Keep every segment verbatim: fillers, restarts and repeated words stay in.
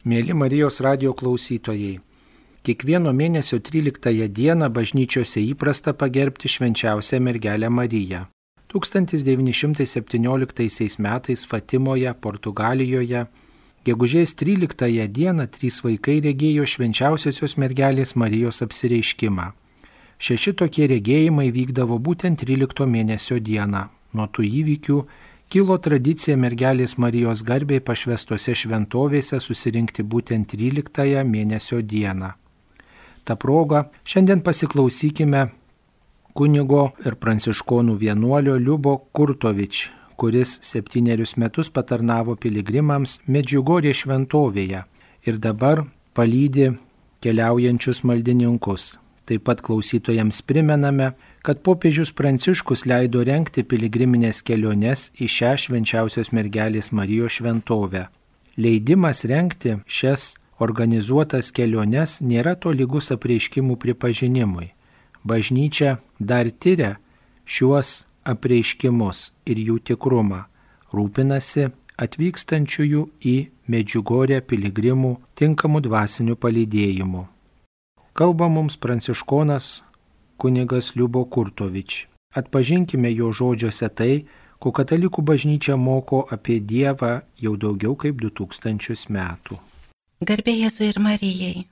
Mėly Marijos radijo klausytojai, kiekvieno mėnesio tryliktąją dieną bažnyčiose įprasta pagerbti švenčiausią mergelę Mariją. tūkstantis devyni šimtai septynioliktaisiais metais Fatimoje, Portugalijoje, gegužės tryliktąją dieną trys vaikai regėjo švenčiausiosios mergelės Marijos apsireiškimą. Šeši tokie regėjimai vykdavo būtent trylikto mėnesio dieną. Nuo tų įvykių kilo tradicija mergelės Marijos garbei pašvestose šventovėse susirinkti būtent tryliktąją mėnesio dieną. Ta proga šiandien pasiklausykime kunigo ir pranciškonų vienuolio Liubo Kurtovič, kuris septynerius metus patarnavo piligrimams Medžiugorjės šventovėje ir dabar palydi keliaujančius maldininkus. Taip pat klausytojams primename, kad popiežius Pranciškus leido rengti piligriminės keliones į šią švenčiausios mergelės Marijos šventovę. Leidimas rengti šias organizuotas keliones nėra tolygus apreiškimų pripažinimui. Bažnyčia dar tiria šiuos apreiškimus ir jų tikrumą, rūpinasi atvykstančiųjų į Medžiugorję piligrimų tinkamų dvasinių palydėjimų. Kalba mums pranciškonas kunigas Liubo Kurtovič. Atpažinkime jo žodžiuose tai, ko katalikų bažnyčia moko apie Dievą jau daugiau kaip du tūkstančius metų. Garbė Jėzui ir Marijai.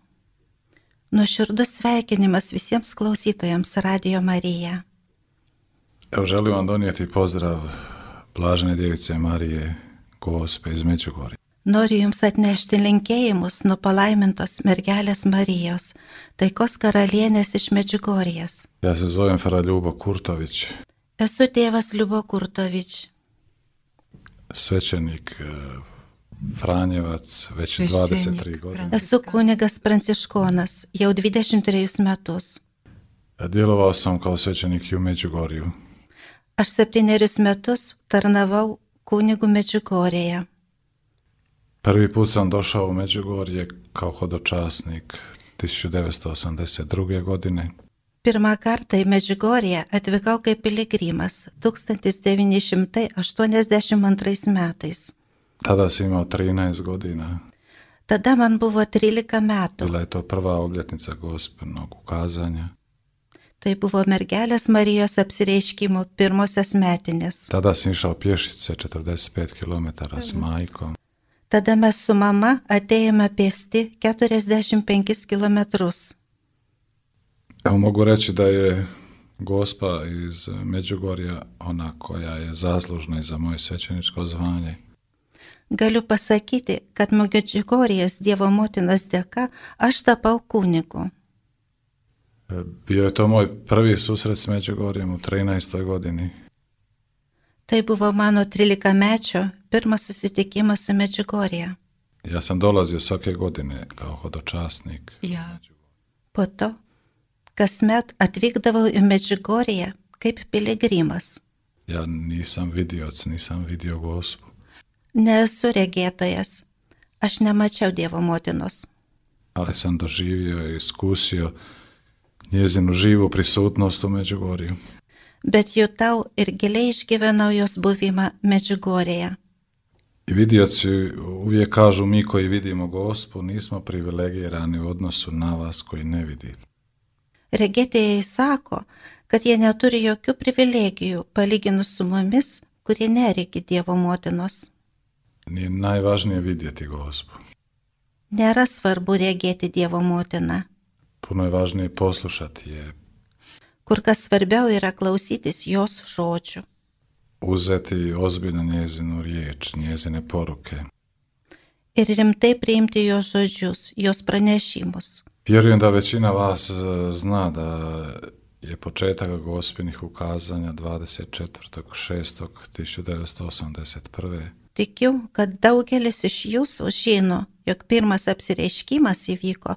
Nuoširdus sveikinimas visiems klausytojams Radio Marija. Evo želim vam donijeti pozdrav Blažene Djevice Marije, Gospe iz Međugorja. Noriu Jums atnešti linkėjimus nuo palaimintos mergelės Marijos, taikos karalienės iš Medžiugorjės. Ja se zovem Fra Ljubo Kurtović. Esu tėvas Liubo Kurtović. Svećenik Franjevac, već dvadeset tri godine. Esu kunigas pranciškonas, jau dvidešimt trejus metus. Djelovao sam kao svećenik i u Međugorju. Aš septynerius metus tarnavau kunigu Medžiugorjėje. Prvi put sam došao u Međugorje kao hodočasnik tisuću devetsto osamdeset druge godine. Pirmą kartą į Medžiugorję atvykau kaip piligrimas tūkstantis devyni šimtai aštuoniasdešimt antrais metais. Tada sam imao trinaest godina. Tada man buvo trylika metų. Bila je to prva obljetnica Gospinog ukazanja. Tai buvo mergelės Marijos apsireiškimo pirmosios metinės. Tada sam išao pješice četrdeset pet kilometara s majkom. Tada mes su mama atėjome pėsti keturiasdešimt penkis kilometrus. Evo mogu reći da je Gospa iz Međugorja ona koja je zaslužna za moje svećeničko zvanje. Galiu pasakyti, kad Medžiugorjės Dievo motinos dėka aš tapau kunigu. Bio je to moj prvi susret s Međugorjem u trinaestoj godini. Tai buvo mano trilikamečio pirmas susitikimas su Medžiugorje. Ja sam dolazio svake godine kao hodočasnik. Ja. Po to, kasmet atvykdavau į Medžiugorję kaip piligrimas. Ja nisam vidioc, nisam vidio Gospu. Nesu regėtojas. Aš nemačiau Dievo motinos. Ali sam doživio i iskusio njezinu živu prisutnost u Međugorju. Bet jutau ir giliai išgyvenau jos buvimą Medžiugorjėje. I vidioci uvijek kažu, mi koji vidimo Gospu nismo privilegirani u odnosu na vas koji ne vidite. Regėtėjai sako, kad jie neturi jokių privilegijų palyginus su mumis, kurie neregi Dievo motinos. Nije najvažnije vidjeti Gospu. Nėra svarbu regėti Dievo motiną. Puno je važnije poslušati je. Kur kas svarbiau yra klausytis jos žodžių. Uzeti ozbiljno njezinu riječ, njezine poruke. Ir rimtai priimti jos žodžius, jos pranešimus. Vjerujem da većina vas zna da je početak Gospinih ukazanja dvadeset četvrtog šestog tisuću devetsto osamdeset prve. Tikiu, kad daugelis iš jūsų žino, jog pirmas apsireiškimas įvyko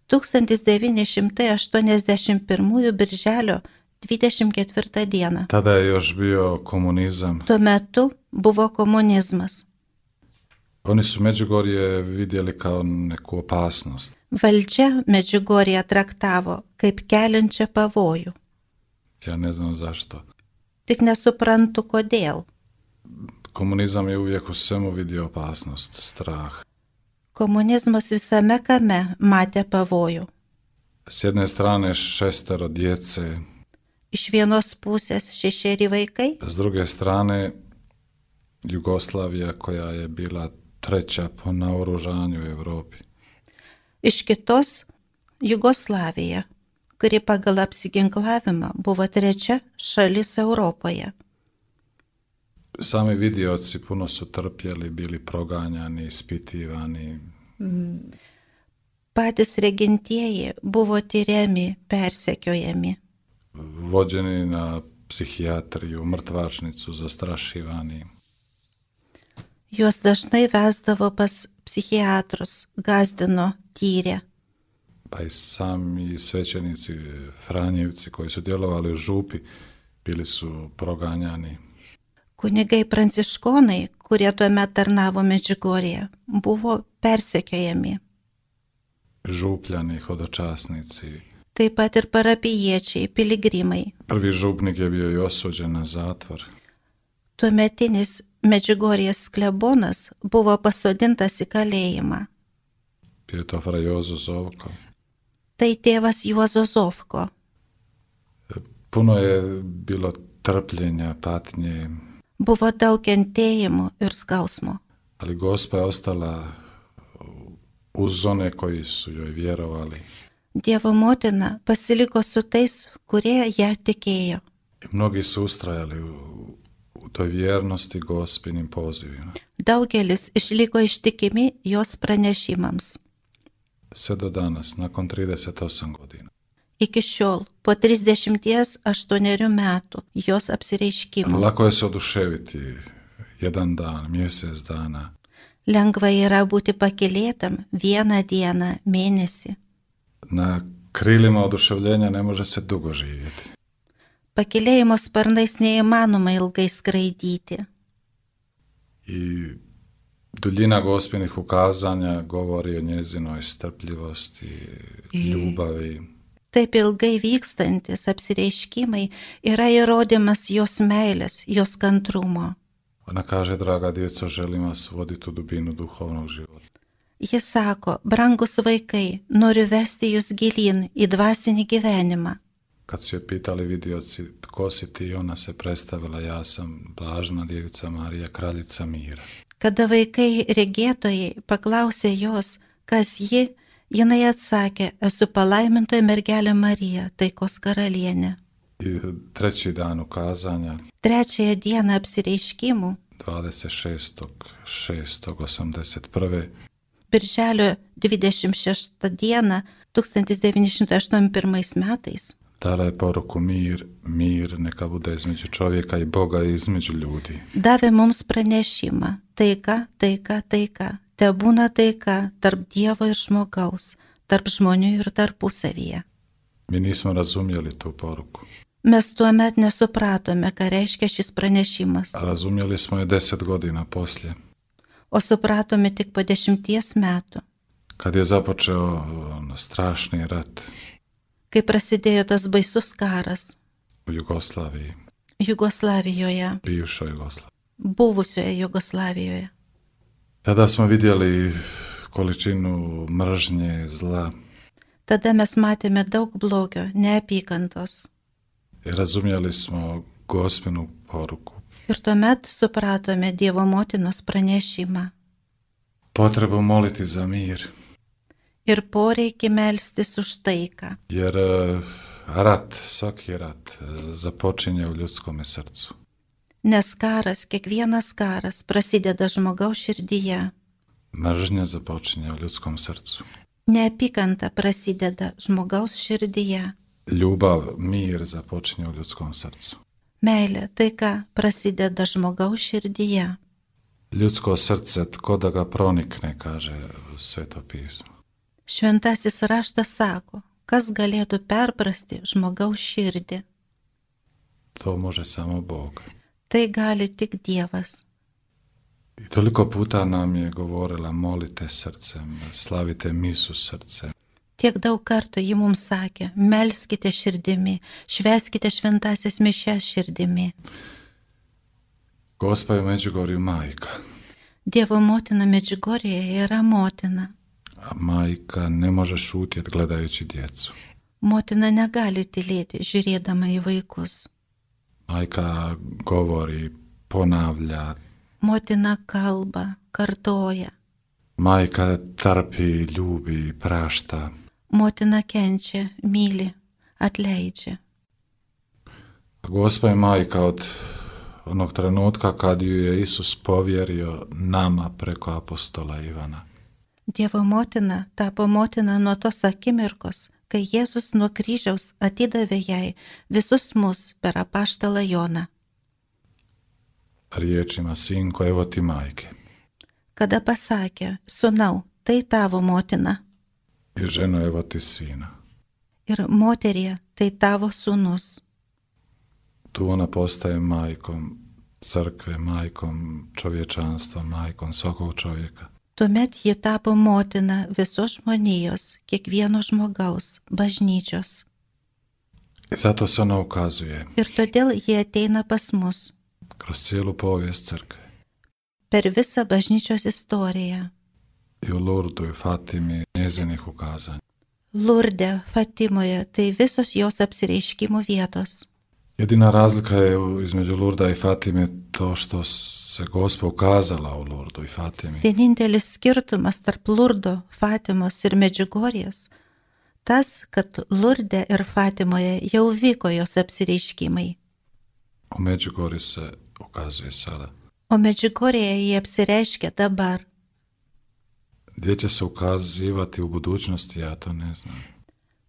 tūkstantis devyni šimtai aštuoniasdešimt pirmųjų birželio dvidešimt ketvirtą dieną. Tada je još bio komunizam. Tuo metu buvo komunizmas. Oni su Međugorje vidjeli kao neku opasnost. Valdžia Medžiugorję traktavo kaip keliančią pavojų. Ja ne znam zašto. Tik nesuprantu kodėl. Komunizam je uvijek u svemu vidio opasnost, strah. Komunizmas visame kame matė pavojų. S jedne strane šestero djece, Iš vienos pusės šešeri vaikai, s druge strane Jugoslavija koja je bila treća po naoružanju u Europi. iš kitos Jugoslavija, kuri pagal apsiginklavimą buvo trečia šalis Europoje. Sami vidioci puno su trpjeli, bili proganjani, ispitivani. Patys regintieji buvo tyriami, persekiojami. Vođeni na psihijatriju, mrtvačnicu, zastrašivani. Juos dažnai vesdavo pas psichiatrus, gazdino, tyrė. Pa i sami svećenici, Franjevci koji su djelovali u župi, bili su proganjani. Kunigai pranciškonai, kurie tuomet tarnavo Medžiugorje, buvo persekiojami. Župljani, hodočasnici. Taip pat ir parapijiečiai, piligrimai. Prvi župnik je bio i osuđen na zatvor. Tuometinis Medžiugorjės klebonas buvo pasodintas į kalėjimą. Bio je to fra Jozo Zovko. Tai tėvas Juozo Zovko. Puno je bilo trpljenja, patnje, Buvo daug kentėjimų ir skausmo. ali Gospa je ostala uz one koji su joj vjerovali. Dievo motina pasiliko su tais, kurie ją tikėjo. I mnogi su ustrajali u, u toj vjernosti Gospinim pozivima. Daugelis išliko ištikimi jos pranešimams. Sve do danas, nakon trideset osam godina. Iki šiol, po trisdešimt aštuonių metų jos apsireiškimo, Lako je se oduševiti jedan dan, mjesec dana. lengva yra būti pakylėtam vieną dieną, mėnesį. Na krilima oduševljenja ne može se dugo živjeti. Pakylėjimo sparnais neįmanoma ilgai skraidyti. I duljina Gospinih ukazanja govori o njezinoj strpljivosti, ljubavi. Taip ilgai vykstantis apsireiškimai yra įrodymas jos meilės, jos kantrumo. Ona kaže, draga djeco, želim vas voditi u dubinu duhovnog života. Jis sako, brangus vaikai, noriu vesti jūs gilin į dvasinį gyvenimą. Kad su je pitali vidioci, tko si ti, ona se predstavila, ja sam blažena djevica Marija, kraljica mira. Kada vaikai regėtojai paklausė jos, kas ji, jinai atsakė, esu palaimintoji mergelė Marija, taikos karalienė. I treći dan ukazanja, Trečiąją dieną apsireiškimų, dvadeset šestog šestog osamdeset prve. birželio dvidešimt šeštą dieną tūkstantis devyni šimtai aštuoniasdešimt pirmais metais, Dala je poruku mir, mir neka bude između čovjeka i Boga i između ljudi. davė mums pranešimą, taika, taika, taika, te būna taika tarp Dievo ir žmogaus, tarp žmonių ir tarpusavyje. Mi nismo razumjeli tu poruku. Mes tuomet nesupratome, ką reiškia šis pranešimas, A razumjeli smo je deset godina poslije, o supratome tik po dešimties metų, kad je započeo ono, strašni rat kai prasidėjo tas baisus karas u Jugoslaviji, Jugoslavijoje, bivšoj Jugoslaviji. buvusioje Jugoslavijoje. Tada smo vidjeli količinu mržnje, zla Tada mes matėme daug blogio, neapykantos. i razumjeli smo Gospinu poruku. Ir tuomet supratome Dievo motinos pranešimą Potrebu moliti za mir, ir poreikį melstis už taiką, jer e, rat, svaki rat e, započinje u ljudskome srcu. nes karas, kiekvienas karas prasideda žmogaus širdyje. Mržnja započinje u ljudskom srcu. Neapykanta prasideda žmogaus širdyje. Ljubav, mir započinje u ljudskom srcu. Meilė, taika prasideda žmogaus širdyje. Ljudsko srce, tko da ga pronikne, kaže Sveto pismo. Šventasis raštas sako, kas galėtų perprasti žmogaus širdį. To može samo Bog. Tai gali tik Dievas. I toliko puta nam je govorila, molite srcem, slavite misu srcem. Tiek daug kartų ji mums sakė, melskite širdimi, švęskite šventasias mišes širdimi. Gospa je u Međugorju majka. Dievo motina Medžiugorje yra motina. A majka ne može šutjeti gledajući djecu. Motina negali tylėti, žiūrėdama į vaikus. Majka govori, ponavlja. Motina kalba, kartoja. Majka trpi, ljubi, prašta. Motina kenčia, myli, atleidžia. A Gospa je majka od onog trenutka kad ju je Isus povjerio nama preko apostola Ivana. Dievo motina tapo motina nuo tos akimirkos, kai Jėzus nuo kryžiaus atidavė jai visus mus per apaštalą Joną. Riječima, sinko, evo ti majke. Kada pasakė, sūnau, tai tavo motina. I ženo, evo ti sina. Ir moterie, tai tavo sūnus. Tu ona postaje majkom crkve, majkom čovječanstva, majkom svakog čovjeka. Tuomet ji tapo motina visos žmonijos, kiekvieno žmogaus, bažnyčios. I zato se ona ukazuje Ir todėl ji ateina pas mus kroz cijelu povijest crkve. per visą bažnyčios istoriją. I u Lurdu i Fatimi njezinih ukazanja. Lurde, Fatimoje, tai visos jos apsireiškimų vietos. Jedina razlika je između Lurda i Fatime to što se Gospa ukazala u Lurdu i Fatimi. Vienintelis skirtumas tarp Lurdo, Fatimos ir Medžiugorjės tas, kad Lurde ir Fatimoje jau vyko jos apsireiškimai, U Međugorju se ukazuje sada. o Medžiugorjėje jie apsireiškia dabar. Gdje će se ukazivati u budućnosti, ja to ne znam.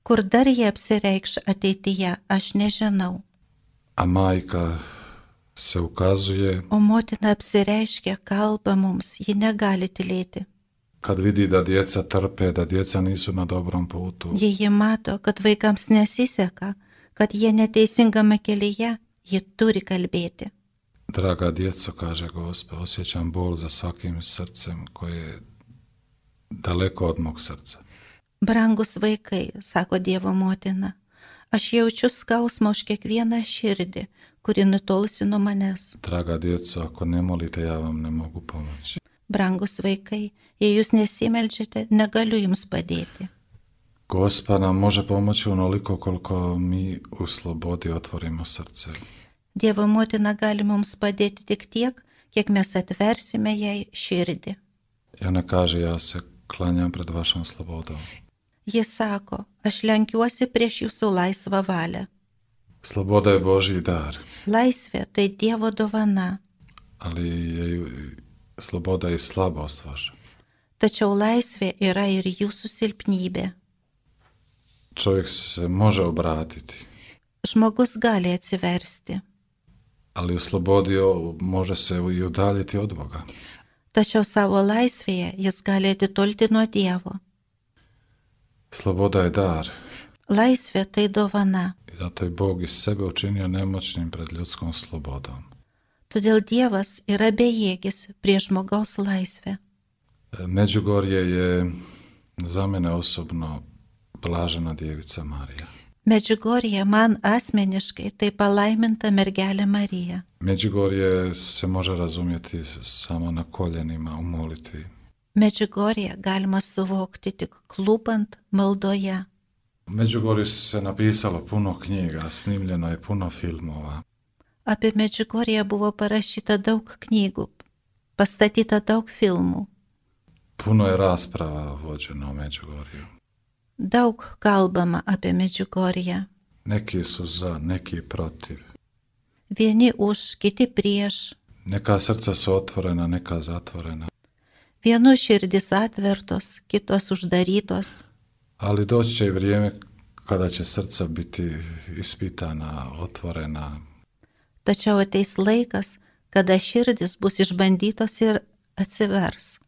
Kur dar jie apsireikš ateityje, aš nežinau. A majka se ukazuje O motina apsireiškia, kalba mums, ji negali tylėti. kad vidi da djeca trpe, da djeca nisu na dobrom putu. Jei ji mato, kad vaikams nesiseka, kad jie neteisingame kelyje, ji turi kalbėti. Draga djeco, kaže Gospa, osjećam bol za svakim srcem koje je daleko od mog srca. Brangus vaikai, sako Dievo motina, aš jaučiu skausmą už kiekvieną širdį, kuri nutolusi nuo manęs. Draga djeco, ako ne molite, ja vam ne mogu pomoći. Brangus vaikai, jei jūs nesimeldžiate, negaliu jums padėti. Gospa nam može pomoći onoliko koliko mi u slobodi otvorimo srce. Dievo motina gali mums padėti tik tiek, kiek mes atversime jai širdį. I ona kaže, ja se klanjam pred vašom slobodom. Jis sako, aš lenkiuosi prieš jūsų laisvą valią. Sloboda je Božji dar, Laisvė tai Dievo dovana, ali je i sloboda i slabost vaša. tačiau laisvė yra ir jūsų silpnybė. Čovjek se može obratiti, Žmogus gali atsiversti, ali u slobodi može se i udaljiti od Boga. tačiau savo laisvėje jis gali atitolti nuo Dievo. Sloboda je dar Laisvė tai dovana, i zato je Bog iz sebe učinio nemoćnim pred ljudskom slobodom. todėl Dievas yra bejėgis prieš žmogaus laisvę. Međugorje je za mene osobno blažena djevica Marija. Medžiugorje man asmeniškai tai palaiminta mergelė Marija. Međugorje se može razumjeti samo na koljenima u molitvi. Medžiugorje galima suvokti tik klūpant maldoje. U Međugorju se napisalo puno knjiga, snimljeno je puno filmova. Apie Medžiugorje buvo parašyta daug knygų, pastatyta daug filmų. Puno je rasprava vođeno u Međugorju. Daug kalbama apie Medžiugorję. Neki su za, neki protiv. Vieni už, kiti prieš. Neka srca su otvorena, neka zatvorena. Vienų širdis atvertos, kitos uždarytos. Ali doći će i vrijeme kada će srca biti ispitana, otvorena. Tačiau ateis laikas, kada širdis bus išbandytos ir atsivers.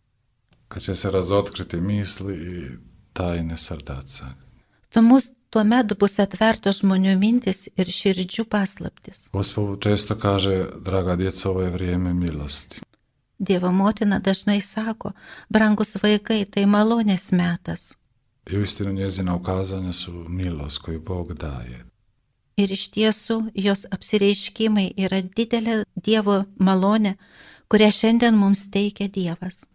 Kad će se razotkriti misli i tajne srdaca. Tuomet bus atvertos žmonių mintis ir širdžių paslaptis. Gospod često kaže, draga djeca, ovo je vrijeme milosti. Dievo motina dažnai sako, brangus vaikai, tai malonės metas. I uistinu njezina ukazanja su milost koju Bog daje. Ir iš tiesų jos apsireiškimai yra didelė Dievo malonė, kurią šiandien mums teikia Dievas.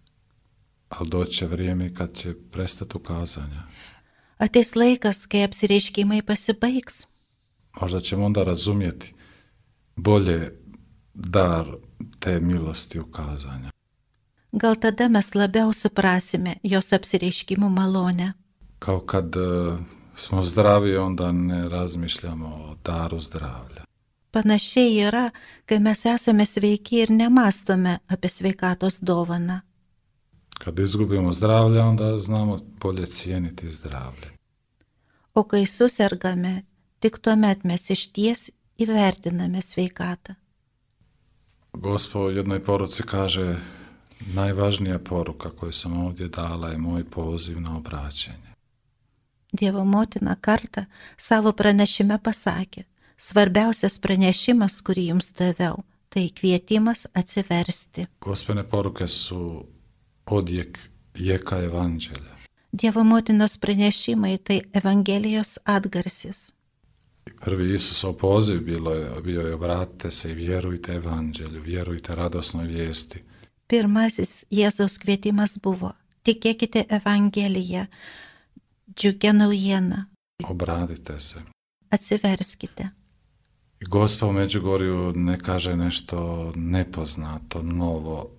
Ali doći će vrijeme kad će prestati ukazanja. Ateis laikas, kai apsireiškimai pasibaigs. Možda ćemo onda razumjeti bolje dar te milosti ukazanja. Gal tada mes labiau suprasime jos apsireiškimų malonę. Kao kad uh, smo zdravi, onda ne razmišljamo o daru zdravlja. Panašiai yra, kai mes esame sveiki ir nemastome apie sveikatos dovaną. Kad izgubimo zdravlje, onda znamo bolje cijeniti zdravlje. O kai susergame, tik tuomet mes išties įvertiname sveikatą. Gospod u jednoj poruci kaže, najvažnija poruka koju sam ovdje dala je moj poziv na obraćenje. Dievo motina kartą savo pranešime pasakė, svarbiausias pranešimas, kurį jums daviau, tai kvietimas atsiversti. Gospine poruke su odjek jeka evanđelja. Dievo motinos pranešimai tai Evangelijos atgarsis. Prvi Isusov poziv bilo je, bio je obratite se i vjerujte evanđelju, vjerujte radosnoj vijesti. Pirmasis Jėzaus kvietimas buvo, tikėkite Evangeliją, džiugia naujiena, Obratite se. atsiverskite. I Gospod u Međugorju ne kaže nešto nepoznato, novo.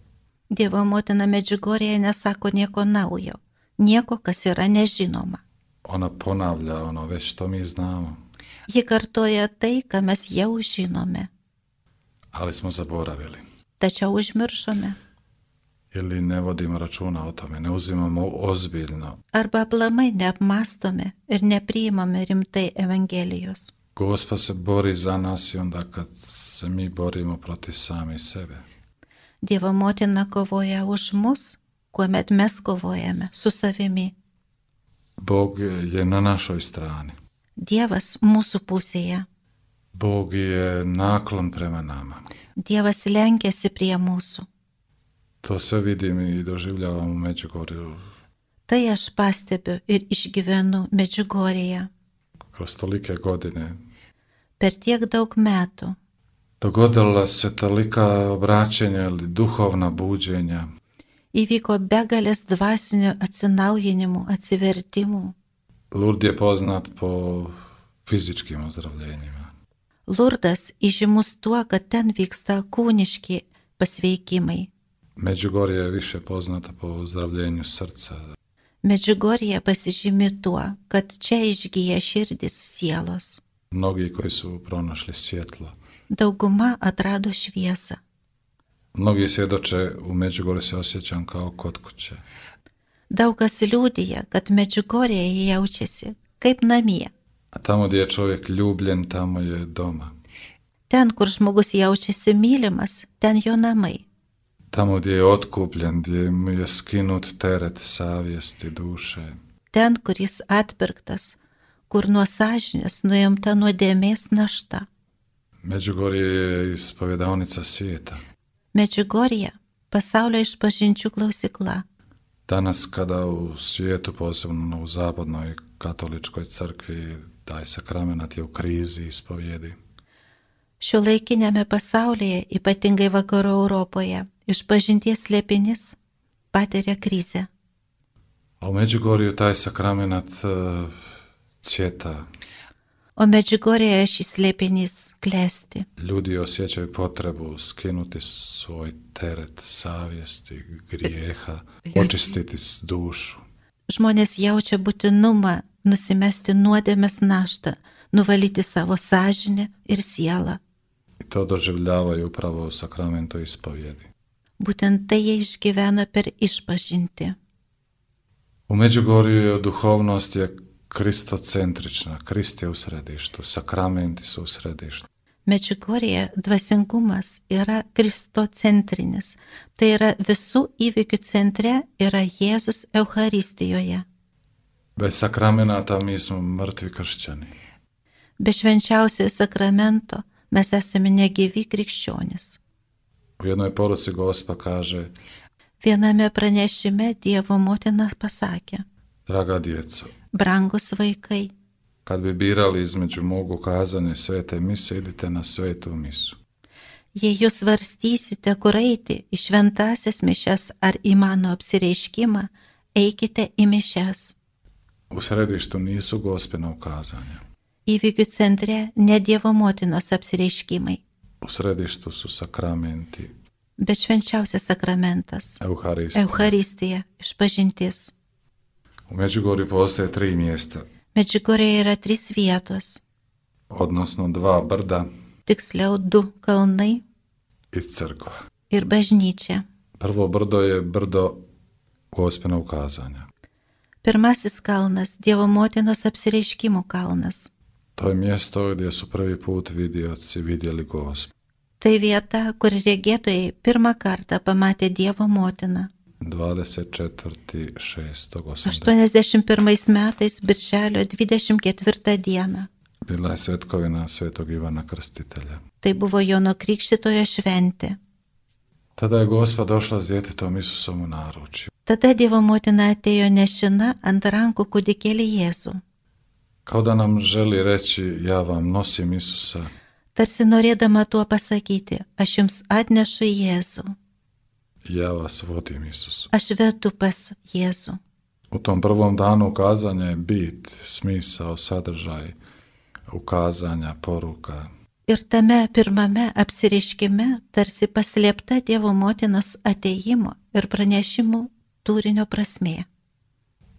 Dievo motina Medžiugorėje nesako nieko naujo, nieko, kas yra nežinoma. Ona ponavlja ono već što mi znamo, Ji kartoja tai, ką mes jau žinome, ali smo zaboravili. tačiau užmiršome. Ili ne vodimo računa o tome, ne uzimamo ozbiljno. Arba aplamai neapmastome ir nepriimame rimtai Evangelijos. Gospod se bori za nas i onda kad se mi borimo protiv sami sebe. Dievo motina kovoja už mus, kuomet mes kovojame su savimi. Bog je na našoj strani. Dievas mūsų pusėje. Bog je naklon prema nama. Dievas lenkiasi prie mūsų. To sve vidim i doživljavam u Međugorju Tai aš pastebiu ir išgyvenu Medžiugorėje. kroz tolike godine. Per tiek daug metų Dogodila se tolika obraćenja ili duhovna buđenja. įvyko begalės dvasinių atsinaujinimų, atsivertimų. Lurd je poznat po fizičkim ozdravljenjima. Lurdas įžymus tuo, kad ten vyksta kūniški pasveikimai. Međugorje je više poznata po ozdravljenju srca. Medžiugorje pasižymi tuo, kad čia išgyja širdis sielos. Mnogi koji su pronašli svjetlo. Dauguma atrado šviesą. Mnogi svjedoče u Međugorju se osjećam kao kod kuće. Daug kas liudija, kad Medžiugorėje jaučiasi kaip namie. A tamo gdje je čovjek ljubljen, tamo je doma. Ten, kur žmogus jaučiasi mylimas, ten jo namai. Tamo gdje je otkupljen, gdje mu je skinut teret savjesti, duše. Ten, kur jis atpirktas, kur nuo sąžinės nuimta nuodėmės našta. Međugorje je ispovjedaonica svijeta. Medžiugorje pasaulio išpažinčių klausykla. Danas kada u svijetu, posebno u zapadnoj katoličkoj crkvi, taj sakramenat je u krizi ispovjedi. Šiuolaikinėme pasaulyje, ypatingai vakarų Europoje, išpažinties slėpinis patiria krizę. A u Međugorju taj sakramenat uh, cvjeta. O Medžiugorėje šis slėpinys klesti. Ljudi osjećaju potrebu skinuti svoj teret savjesti, grijeha, očistiti dušu. Žmonės jaučia būtinumą nusimesti nuodėmės naštą, nuvalyti savo sąžinę ir sielą. I to doživljavaju upravo u sakramentu ispovjedi. Būtent tai jie išgyvena per išpažinti. U Međugorju duhovnost je kristocentrična, Krist je u središtu, sakramenti su u središtu. Medžiugorėje dvasingumas yra kristocentrinis, tai yra visų įvykių centre yra Jėzus Eucharistijoje. Bez sakramenata mi smo mrtvi kršćani. Be švenčiausiojo sakramento mes esame negyvi krikščionys. U jednoj poruci Gospa kaže: Viename pranešime Dievo motina pasakė: Draga djeco, brangus vaikai, kad bi birali između mog ukazanja i svete mise, idite na svetu misu. Jei jūs svarstysite, kur eiti, į šventasias mišes ar į mano apsireiškimą, eikite į mišes. U središtu nisu Gospina ukazanja. Įvykių centre ne Dievo motinos apsireiškimai, U središtu su sakramenti, bet švenčiausias sakramentas, Euharistija. Euharistija, išpažintis. U Međugorju postoje tri mjesta, Medžiugorėje yra trys vietos, odnosno dva brda tiksliau du kalnai i crkva. ir bažnyčia. Prvo brdo je brdo Gospina ukazanja. Pirmasis kalnas – Dievo motinos apsireiškimų kalnas. To je mjesto gdje su prvi put vidioci vidjeli Gospu. Tai vieta, kur regėtojai pirmą kartą pamatė Dievo motiną. dvadeset četvrtog šestog osamdeset. aštuoniasdešimt pirmais metais birželio dvidešimt ketvirtą dieną. Bila je svetkovina svetog Ivana Krstitelja. Tai buvo Jono Krikštytojo šventė. Tada je Gospa došla s djetetom Isusom u naručju. Tada Dievo motina atėjo nešina ant rankų kūdikėlį Jėzų. Kao da nam želi reći, ja vam nosim Isusa, Tarsi norėdama tuo pasakyti, aš jums atnešu Jėzų, ja vas vodim Isusu. aš vedu pas Jėzų. U tom prvom danu ukazanja je bit, smisao, sadržaj, ukazanja, poruka. Ir tame pirmame apsireiškime tarsi paslėpta Dievo motinos atėjimo ir pranešimų turinio prasmė.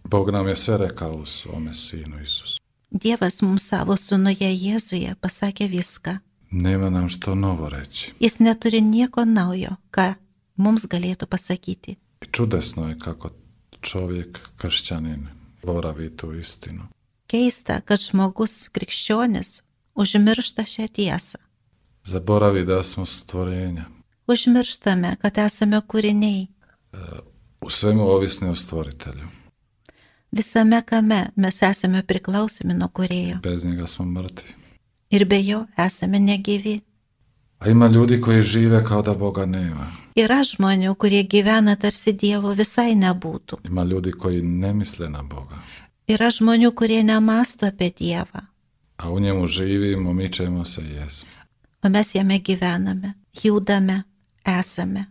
Bog nam je sve rekao u svome sinu Isusu. Dievas mums savo sūnuje Jėzuje pasakė viską. Nema nam što novo reći. Jis neturi nieko naujo, ką mums galėtų pasakyti. I čudesno je kako čovjek, kršćanin, boravi tu istinu. Keista, kad žmogus krikščionis užmiršta šią tiesą. Zaboravi da smo stvorenja, Užmirštame, kad esame kūriniai. u svemu ovisni o stvoritelju. Visame kame mes esame priklausomi nuo kūrėjo. Bez njega smo mrtvi. Ir be jo esame negyvi. A ima ljudi koji žive kao da Boga nema. Yra žmonių, kurie gyvena tarsi Dievo visai nebūtų. Ima ljudi koji ne misle na Boga. Yra žmonių, kurie nemasto apie Dievą. A u njemu živimo, mičemo se i jesmo. O mes jame gyvename, judame, esame.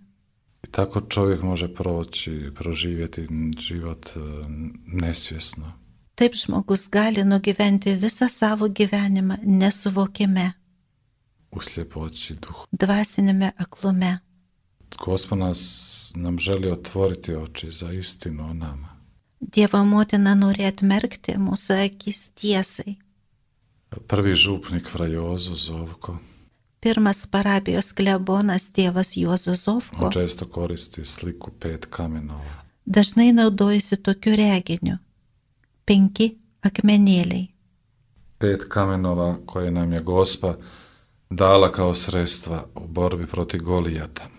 I tako čovjek može proći, proživjeti život e, nesvjesno. Taip žmogus gali nugyventi visą savo gyvenimą nesuvokime, U sljepoći duhu. dvasinėme aklume. Gospod nas nam želi otvoriti oči za istinu o nama. Dievo motina nori atmerkti mūsų akis tiesai. Prvi župnik fra Jozo Zovko, Pirmas parapijos klebonas tėvas Juozo Zovko on često koristi sliku pet kamenova. dažnai naudojasi tokiu reginiu. Penki akmenėliai. Pet kamenova koje nam je Gospa dala kao sredstva u borbi protiv Golijata.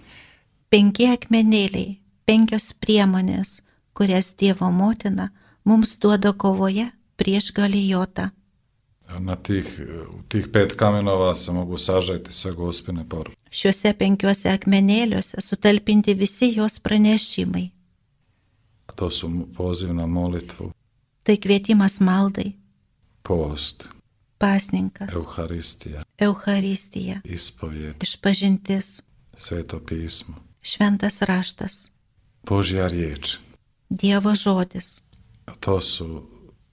Penki akmenėliai, penkios priemonės, kurias Dievo motina mums duoda kovoje prieš Galijotą. Na tih, u tih pet kamenova se mogu sažeti sve Gospine poruke. Šiuose penkiuose akmenėliuose sutalpinti visi jos pranešimai. A to su poziv na molitvu, Tai kvietimas maldai, post, pasninkas, Euharistija, Euharistija, ispovjed, išpažintis, Sveto pismo, šventas raštas, Božja riječ. Dievo žodis. To su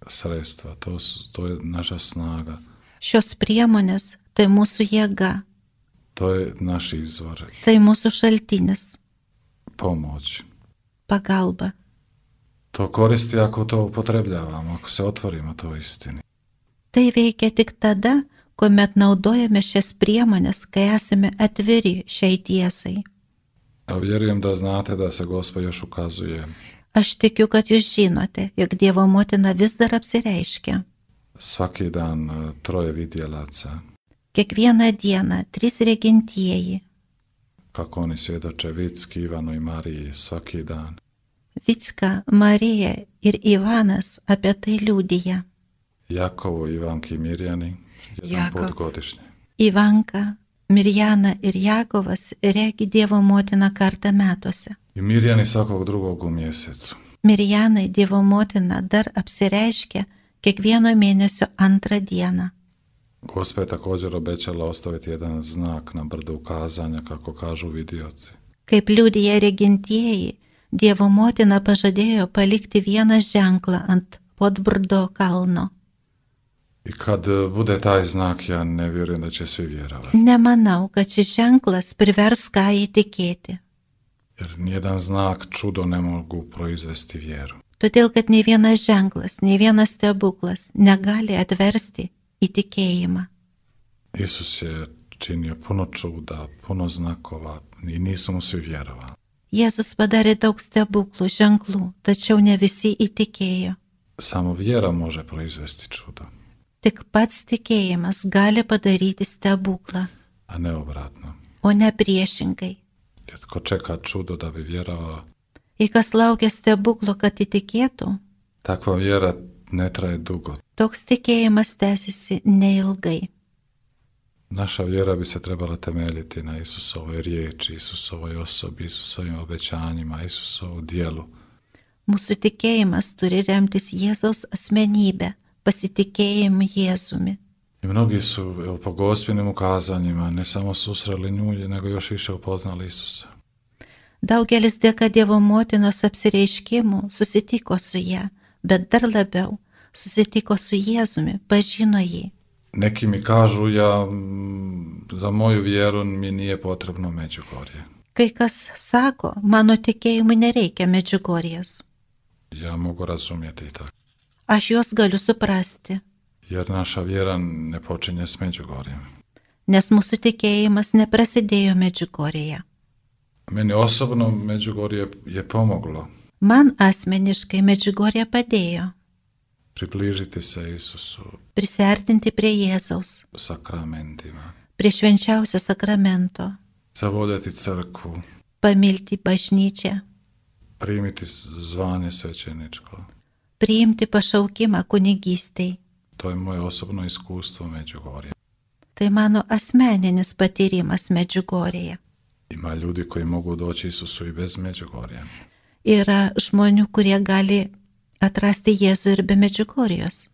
sredstva, to, su, to je naša snaga, Šios priemonės tai mūsų jėga, to je naš izvor, tai mūsų šaltinis, pomoć. pagalba. To koristi ako to upotrebljavamo, ako se otvorimo to istini. Tai veikia tik tada, kuomet naudojame šias priemonės, kai esame atviri šiai tiesai. A vjerujem da znate da se Gospa još ukazuje. Aš tikiu, kad jūs žinote, jog Dievo motina vis dar apsireiškia. Svaki dan e, troje vidjelaca, Kiekvieną dieną trys regintieji kako oni svjedoče Vicki, Ivanu i Mariji svaki dan. Vicka, Marija ir Ivanas apie tai liudija. Jakovo, Ivanki i Mirjani jedan Jakov. put godišnje. Ivanka, Mirjana ir Jakovas regi Dievo motiną kartą metuose. I Mirjani svakog drugog u mjesecu. Mirjanai Dievo motina dar apsireiškia kiekvieno mėnesio antrą dieną. Gospa je također obećala ostaviti jedan znak na brdu ukazanja, kako kažu vidioci. Kaip liudija regintieji, Dievo motina pažadėjo palikti vieną ženklą ant Podbrdo kalno. I kad bude taj znak, ja ne vjerujem da će svi vjerovati. Nemanau, kad šis ženklas privers ką įtikėti. Jer nijedan znak, čudo ne mogu proizvesti vjeru. Todėl, kad nei vienas ženklas, nei vienas stebuklas negali atversti įtikėjimą. Isus je činio puno čuda, puno znakova i nisu mu svi vjerovali. Jėzus padarė daug stebuklų, ženklų, tačiau ne visi įtikėjo. Samo vjera može proizvesti čudo, Tik pats tikėjimas gali padaryti stebuklą, a ne obratno. o ne priešingai. Jer tko čeka čudo da bi vjerovao, Jei kas laukia stebuklo, kad įtikėtų, takva vjera ne traje dugo. toks tikėjimas tęsiasi neilgai. Naša vjera bi se trebala temeljiti na Isusovoj riječi, Isusovoj osobi, Isusovim obećanjima, Isusovu dijelu. Mūsų tikėjimas turi remtis Jėzaus asmenybę, pasitikėjimu Jėzumi. I mnogi su evo, po gospinim ukazanjima ne samo susreli nju, nego još više upoznali Isusa. Daugelis dėka Dievo motinos apsireiškimų susitiko su ją, bet dar labiau susitiko su Jėzumi, pažino jį. Neki mi kažu, ja mm, za moju vjeru mi nije potrebno Međugorje. Kai kas sako, mano tikėjimui nereikia Medžiugorjės. Ja mogu razumjeti i tako. Aš juos galiu suprasti, Jer naša vjera ne počinje s Međugorjem. nes mūsų tikėjimas neprasidėjo Medžiugorėje. Meni osobno Međugorje je pomoglo Man asmeniškai Medžiugorje padėjo približiti se Isusu prisiartinti prie Jėzaus, sakramentima, prie švenčiausio sakramento, zavoljeti crkvu, pamilti bažnyčią, primiti zvanje svećeničko. priimti pašaukimą kunigystei. To je moje osobno iskustvo Međugorja. Tai mano asmeninis patyrimas Medžiugorėje. Ima ljudi koji mogu doći Isusu i bez Međugorja. Yra žmonių, kurie gali atrasti Jėzų ir be Medžiugorjos.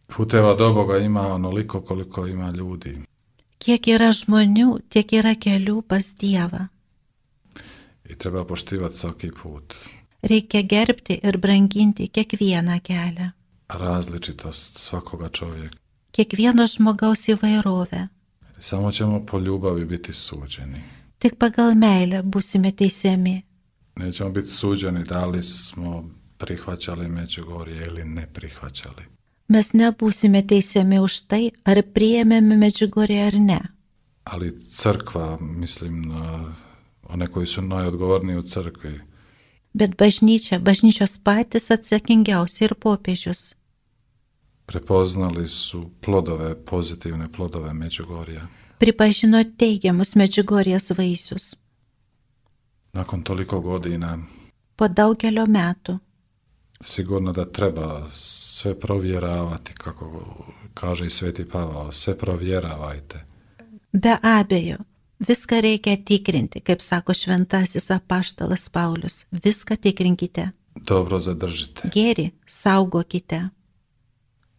Puteva do Boga ima onoliko koliko ima ljudi. Kiek yra žmonių, tiek yra kelių pas Dievą. I treba poštivati svaki put. Reikia gerbti ir branginti kiekvieną kelią, Različitost svakoga čovjeka. kiekvieno žmogaus įvairovę. Samo ćemo po ljubavi biti suđeni. Tik pagal meilę būsime teisiami. Nećemo biti suđeni da li smo prihvaćali Međugorje ili ne prihvaćali. Mes nebūsime teisiami už tai, ar priėmėme Medžiugorję ar ne. Ali crkva, mislim na one koji su najodgovorniji u crkvi, Bet bažnyčia, bažnyčios patys atsakingiausi ir popiežius prepoznali su plodove, pozitivne plodove Međugorja. pripažino teigiamus Medžiugorjės vaisius. Nakon toliko godina, Po daugelio metų sigurno da treba sve provjeravati, kako kaže i Sveti Pavao, sve provjeravajte. be abejo, viską reikia tikrinti, kaip sako šventasis apaštalas Paulius. Viską tikrinkite. Dobro zadržite. Gėrį saugokite.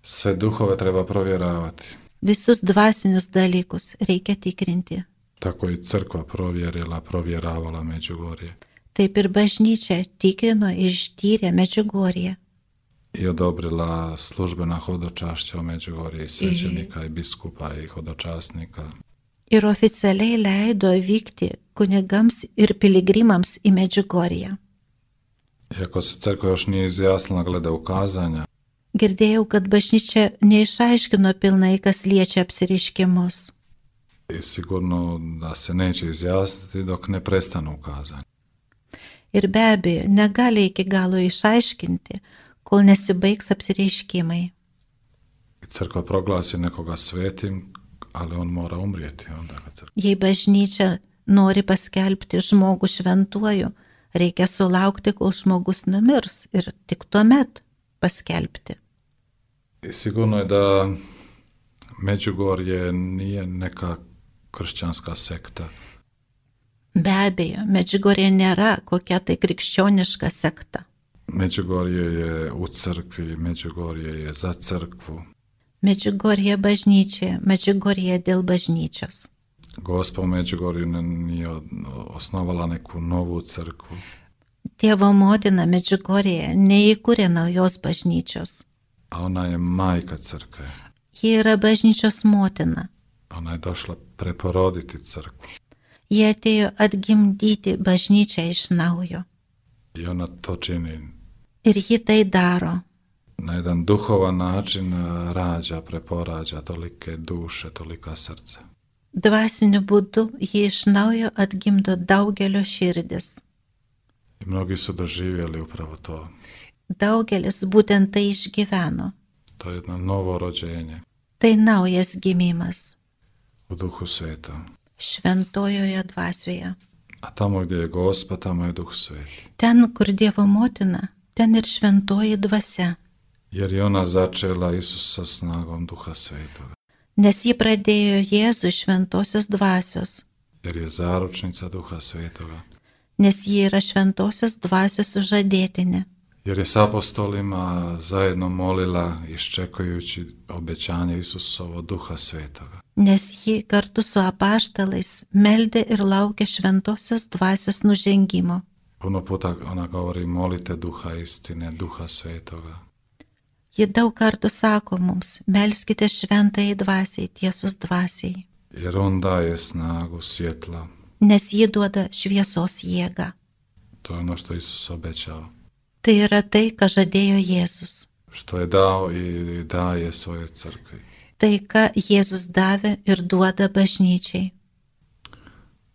Sve duhove treba provjeravati. Visus dvasinius dalykus reikia tikrinti. Tako i crkva provjerila, provjeravala Međugorje Taip ir bažnyčia tikrino ir ištyrė Medžiugorję i odobrila službena hodočašća u Međugorje i svećenika i biskupa i hodočasnika. ir oficialiai leido vykti kunigams ir piligrimams į Medžiugorję. Iako se crkva još nije izjasnila glede ukazanja, Girdėjau, kad bažnyčia neišaiškino pilnai, kas liečia apsireiškimus. i sigurno da se neće izjasniti dok ne prestanu ukazanja. Ir be abejo, negali iki galo išaiškinti, kol nesibaigs apsireiškimai. I crkva proglasi nekoga svetim, ali on mora umrijeti onda kad crkva. Jei bažnyčia nori paskelbti žmogų šventuoju, reikia sulaukti, kol žmogus numirs ir tik tuomet paskelbti. I sigurno je da Međugorje nije neka kršćanska sekta. Be abejo, Medžiugorje nėra kokia tai krikščioniška sekta. Međugorje je u crkvi, Međugorje je za crkvu. Medžiugorje bažnyčioje, Medžiugorje dėl bažnyčios. Gospa u Međugorju nije osnovala neku novu crkvu. Dievo motina Medžiugorje neįkūrė naujos bažnyčios. A ona je majka crkve. Ji yra bažnyčios motina. Ona je došla preporoditi crkvu. Ji atėjo atgimdyti bažnyčią iš naujo. I ona to čini. Ir ji tai daro. Na jedan duhovan način rađa, preporađa tolike duše, tolika srca. Dvasiniu būdu ji iš naujo atgimdo daugelio širdis. I mnogi su doživjeli upravo to. Daugelis būtent tai išgyveno. To je jedno novo rođenje. Tai naujas gimimas. U Duhu Svetom. Šventojoje dvasioje. A tamo gdje je Gospa, tamo je Duh Sveti. Ten, kur Dievo motina, ten ir šventoji dvasia. Jer je ona začela Isusa snagom Duha Svetoga. Nes ji pradėjo Jėzų iš šventosios dvasios. Jer je zaručnica Duha Svetoga. Nes ji yra šventosios dvasios sužadėtinė. Jer je s apostolima zajedno molila iščekujući obećanje Isusovo Duha Svetoga. Nes ji kartu su apaštalais meldė ir laukė šventosios dvasios nužengimo. Puno puta ona govori molite Duha istine, Duha Svetoga. Ji daug kartų sako mums, melskite šventai dvasiai, tiesos dvasiai. Jer on daje snagu, svjetla. Nes ji duoda šviesos jėgą. To je ono što Isus obećao. Tai yra tai, ką žadėjo Jėzus. Što je dao i daje svojoj crkvi. Tai, ką Jėzus davė ir duoda bažnyčiai.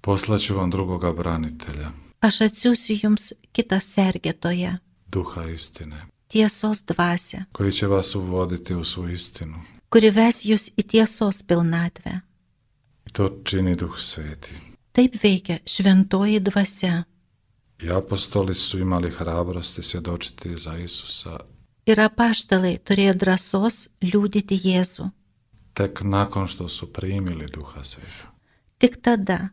Poslaću vam drugoga branitelja. Aš atsiųsiu jums kitą sergėtoją. Duha istine. Tiesos dvasią. Koji će vas uvoditi u svu istinu. Kuri ves jūs į tiesos pilnatvę. I to čini Duh Sveti. Taip veikia šventoji dvasia. I apostoli su imali hrabrosti svjedočiti za Isusa. Ir apaštalai turėjo drąsos liudyti Jėzų. Tek nakon što su primili Duha Sveta. Tik tada,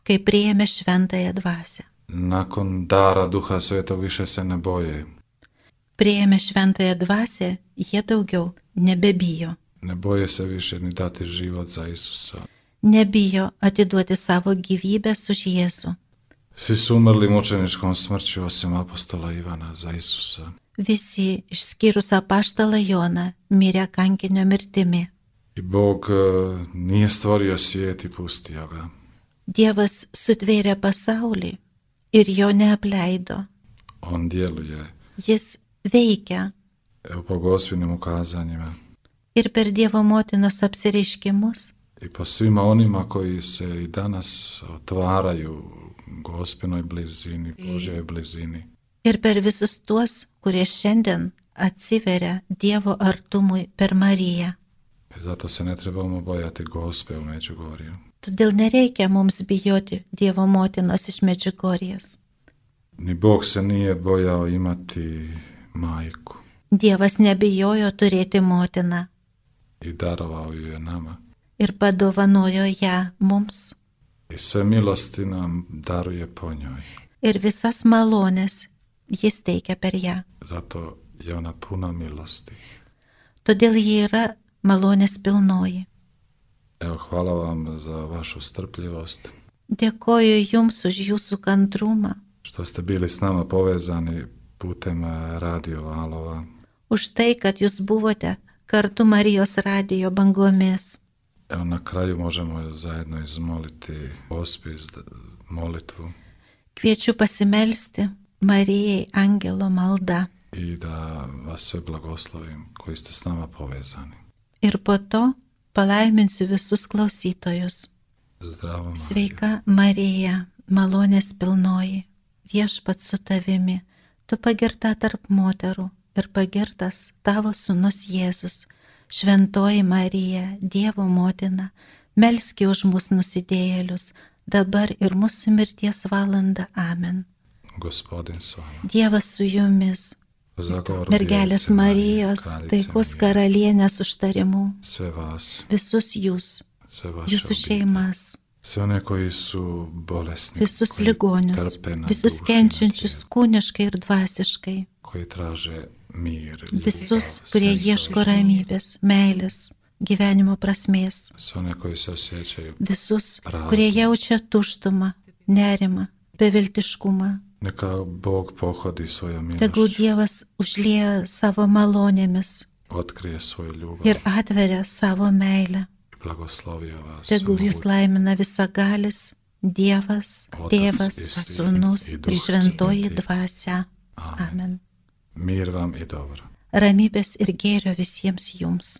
kai priėmė šventąją dvasią. Nakon dara Duha Svetog više se ne boje. Priėmė šventąją dvasią, jie daugiau nebebijo. Ne boje se više ni dati život za Isusa. Nebijo atiduoti savo gyvybės už Jėzų. Svi su umrli mučeničkom smrću osim apostola Ivana za Isusa. Visi, išskyrus apaštalą Joną, mirė kankinio mirtimi. I Bog nije stvorio svijet i pustio ga. Dievas sutvėrė pasaulį ir jo neapleido. On djeluje. Jis veikia. Evo po Gospinim ukazanjima. Ir per Dievo motinos apsireiškimus. I po svima onima koji se i danas otvaraju Gospinoj blizini, Božjoj blizini. Ir per visus tuos, kurie šiandien atsiveria Dievo artumui per Mariją. I zato se ne trebamo bojati Gospe u Međugorju. Todėl nereikia mums bijoti Dievo motinos iš Medžiugorjės. Ni Bog se nije bojao imati majku. Dievas nebijojo turėti motiną. I darovao ju je nama. Ir padovanojo ją mums. I sve milosti nam daruje po njoj. Ir visas malonės jis teikia per ją. Zato je ona puna milosti. Todėl ji yra malonės pilnoji. Evo, hvala vam za vašu strpljivost. Dėkoju jums už jūsų kantrumą. Što ste bili s nama povezani putem radio valova. Už tai, kad jūs buvote kartu Marijos radijo bangomis. Evo, na kraju možemo zajedno izmoliti hospis, molitvu. Kviečiu pasimelsti Marijai angelo malda. I da vas sve blagoslovim koji ste s nama povezani. Ir po to palaiminsiu visus klausytojus. Zdravo Marija. Sveika Marija, malonės pilnoji, viešpats su tavimi, tu pagirta tarp moterų ir pagirtas tavo sūnus Jėzus. Šventoji Marija, Dievo motina, melski už mus nusidėjėlius, dabar ir mūsų mirties valanda. Amen. Gospodin s vama. Dievas su jumis. Mergelės Marijos, taikos karalienės užtarimų. Sve vas. Visus jūs. Sve vaše Jūsų šeimas. Sve one koji su bolesni. Visus koji ligonius. trpe na Visus duši, kenčiančius kūniškai ir dvasiškai. koji traže mir. Visus, kurie ieško ramybės, meilės, gyvenimo prasmės. Sve one koji se osjećaju Visus, prazni. kurie jaučia tuštumą, nerimą, beviltiškumą. Neka Bog pohodi svojom Tegul milošću, Dievas užlieja savo malonėmis otkrije svoju ljubav ir atveria savo meilę. i blagoslovio vas. Tegul jūs Mogu- laimina visagalis, Dievas, Otas Tėvas, ir Sūnus ir ir Duhas Šventoji Svētī. Dvasia. Amen. Amen. Mir vam i dobro. Ramybės ir gėrio visiems jums.